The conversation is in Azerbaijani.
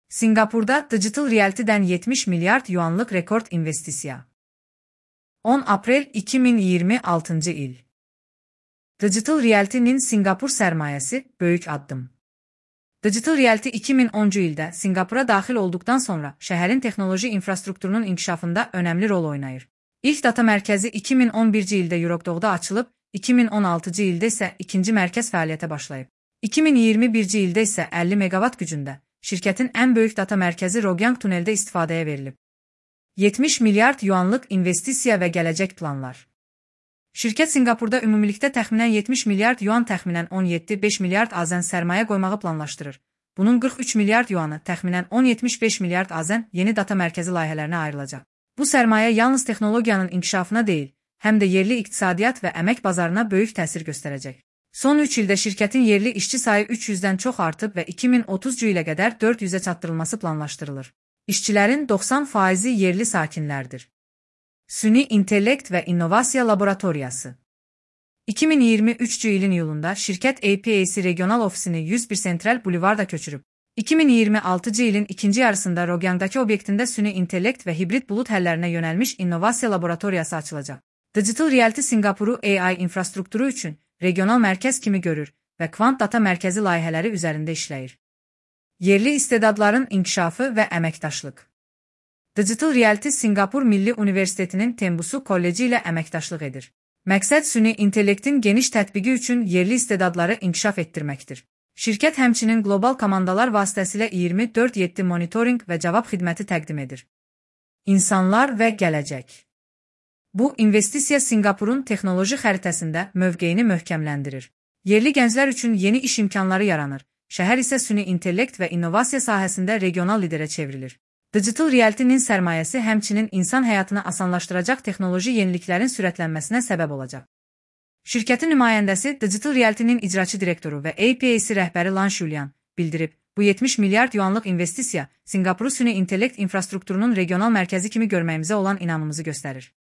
Singapurda Digital Realty'den 70 milyard yuanlık rekord investisiya. 10 Aprel 2026 il. Digital Realty'nin Singapur sərmayəsi böyük addım. Digital Realty 2010-cu ildə Singapura daxil olduqdan sonra şəhərin texnoloji infrastrukturunun inkişafında önəmli rol oynayır. İlk data mərkəzi 2011-ci ildə Yuroqdoğda açılıb, 2016-cı ildə isə ikinci mərkəz fəaliyyətə başlayıb. 2021-ci ildə isə 50 megawatt gücündə şirkətin ən böyük data mərkəzi Rogyang tuneldə istifadəyə verilib. 70 milyard yuanlıq investisiya və gələcək planlar. Şirkət Singapurda ümumilikdə təxminən 70 milyard yuan təxminən 17,5 milyard AZN sərmayə qoymağı planlaşdırır. Bunun 43 milyard yuanı təxminən 10,75 milyard AZN yeni data mərkəzi layihələrinə ayrılacaq. Bu sərmayə yalnız texnologiyanın inkişafına deyil, həm də yerli iqtisadiyyat və əmək bazarına böyük təsir göstərəcək. Son 3 ildə şirkətin yerli işçi sayı 300-dən çox artıb və 2030-cu ilə qədər 400-ə çatdırılması planlaşdırılır. İşçilərin 90% yerli sakinlərdir. Süni intellekt və innovasiya laboratoriyası. 2023-cü ilin iyulunda şirkət APAC regional ofisini 101 Central Boulevard'a köçürüb. 2026-cı ilin ikinci yarısında Rogyangdakı obyektində süni intellekt və hibrid bulut həllərinə yönəlmiş innovasiya laboratoriyası açılacaq. Digital Realty Singapuru AI infrastrukturu üçün regional mərkəz kimi görür və kvant data mərkəzi layihələri üzərində işləyir. Yerli istedadların inkişafı və əməkdaşlıq. Digital Realty Singapur Milli Universitetinin Tembusu Kolleci ilə əməkdaşlıq edir. Məqsəd süni intellektin geniş tətbiqi üçün yerli istedadları inkişaf etdirməkdir. Şirkət həmçinin qlobal komandalar vasitəsilə 24/7 monitorinq və cavab xidməti təqdim edir. İnsanlar və gələcək. Bu investisiya Singapurun texnoloji xəritəsində mövqeyini möhkəmləndirir. Yerli gənclər üçün yeni iş imkanları yaranır. Şəhər isə süni intellekt və innovasiya sahəsində regional liderə çevrilir. Digital Realty-nin sərmayəsi həmçinin insan həyatını asanlaşdıracaq texnoloji yeniliklərin sürətlənməsinə səbəb olacaq. Şirkətin nümayəndəsi Digital Realty-nin icraçı direktoru və APAC rəhbəri Lan Shulian bildirib, bu 70 milyard yuanlıq investisiya Singapuru süni intellekt infrastrukturunun regional mərkəzi kimi görməyimizə olan inamımızı göstərir.